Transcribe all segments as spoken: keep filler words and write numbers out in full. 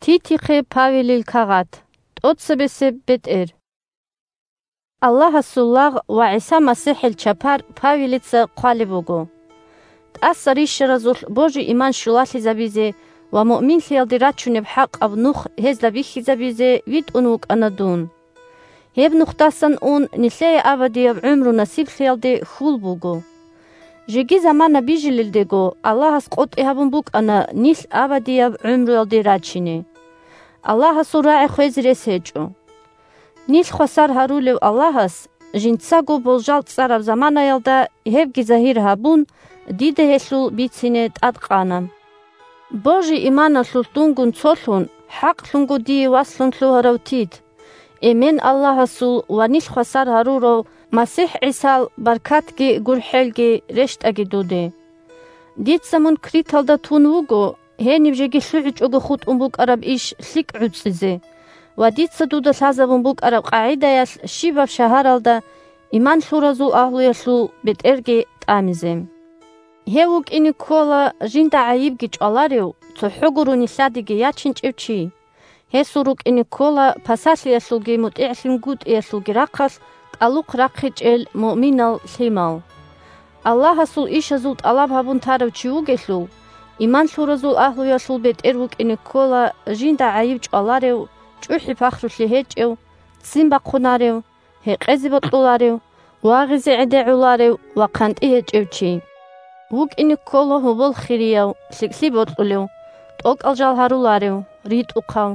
Титихъе Павелил кагъат. ТӀоцебесеб бетӀер. Аллагьасул лагъ ва ГӀиса МасихӀил чапар Павелица хъвалеб буго. ТӀаса рищаразулъ божи-иман щулалъизабизе ва муъминлъиялде рачунеб хӀакъаб нух гьезда бихьизабизе витӀун вукӀана дун. Гьеб нухдасан ун нилъее абадияб гӀумру насиблъиялде хьул буго. Жеги замана бижилелдего Аллагьас къотӀи гьабун букӀана нилъ абадияб гӀумруялде рачине. Аллагьасул рагӀи хвезе рес гьечӀо. Нилъ хвасар гьарулев Аллагьас, жинцаго болжал цӀараб заманаялда гьебги загьир гьабун, дида гьелъул бицине тӀадкъана. Божи-иманалъулъ дунгун цолъун, хӀакълъунго дие васлъун лъугьарав Тит, эмен Аллагьасул ва нилъ хвасар гьарурав МасихӀ ГӀисал баркатги гурхӀелги рещтӀаги дуде. Дица мун Криталда тун вуго, гьениб жеги лъугӀичӀого хутӀун букӀараб иш лъикӀ гӀуцӀизе ва дица дуда лъазабун букӀараб къагӀидаялъ щибаб шагьаралда иман лъуразул агьлуялъул бетӀерги тӀамизе. Гьев вукӀине ккола жинда гӀайибги чӀваларев, цохӀо гурони лъадиги ячинчӀев чи. Гьесул рукӀине ккола пасалъиялъулги мутӀигӀлъунгутӀиялъулги рахъалъ кӀалухъ рахъичӀел муъминал лъимал. Аллагьасул ишазул тӀалаб гьабун тарав чи вугелъул, иман лъуразул агьлуялъул бетӀер вукӀине ккола жинда гӀайиб чӀваларев, чӀухӀи-пахрулъи гьечӀев, ццин бахъунарев, гьекъезе бокьуларев, вагъизе гӀедегӀуларев ва хъантӀи гьечӀев чи. ВукӀине ккола гьобол хирияв, лъикӀлъи бокьулев, тӀокӀал жал гьаруларев, ритӀухъав,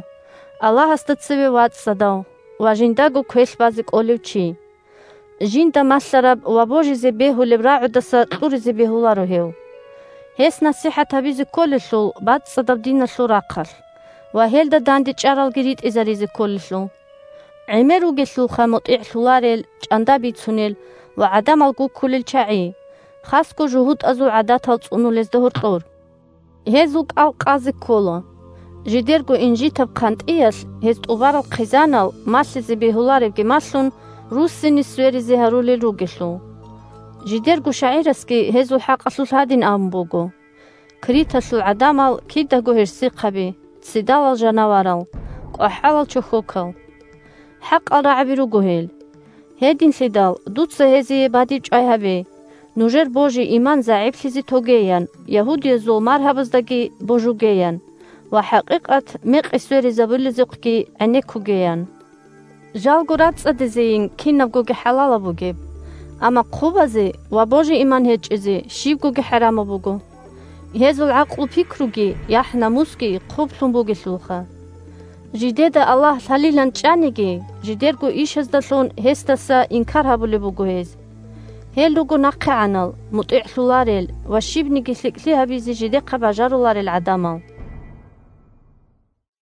Аллагьасда цеве вацӀцӀадав ва жиндаго квелъ базе кӀолев чи. Жинда малъараб ва божизе бегьулеб рагӀудаса кьуризе бегьуларо гьев. Гьес насихӀат гьабизе кколелъул бацӀцӀадаб диналъул рахъалъ ва гьелда дандечӀаралги ритӀизаризе кколелъул. ГӀемер ругелъулха мутӀигӀлъуларел, чӀанда бицунел ва гӀадамал гуккулел чагӀи, хасго жугьутӀазул гӀадатал цӀунулезда гьоркьор. Гьезул кӀал къазе ккола. Жидерго инжитаб хъантӀиялъ гьез тӀубарал хъизанал малъизе бегьуларебги малъун, руссине сверизе гьарулел ругелъул. Жидерго шагӀирасги гьезул хӀакъалъулъ гьадин абун буго: «Криталъул гӀадамал кидаго гьерсихъаби, ццидалал жанаварал, кӀвахӀалал чохьокал». ХӀакъал рагӀаби руго гьел. Гьединлъидал дуца гьезие бадибчӀвай гьабе, нужер божи-иман загӀиплъизе тогеян, ягьудиязул маргьабаздаги божугеян ва хӀакъикъат мекъи сверизабулезухъги гӀенеккугеян. Жалго рацӀцӀадизейин кинабгоги хӀалалаб бугеб, амма хъубазе ва божи-иман гьечӀезе щибгоги хӀарамаб буго. Гьезул гӀакълу-пикруги яхӀ-намусги хъублъун бугелъулха. Жидеда Аллагь лъалилан чӀаниги, жидерго ишаздалъун гьесдаса инкар гьабулеб буго гьез. Гьел руго нахъегӀанал, мутӀигӀлъуларел ва щибниги лъикӀлъи гьабизе жидехъа бажаруларел гӀадамал.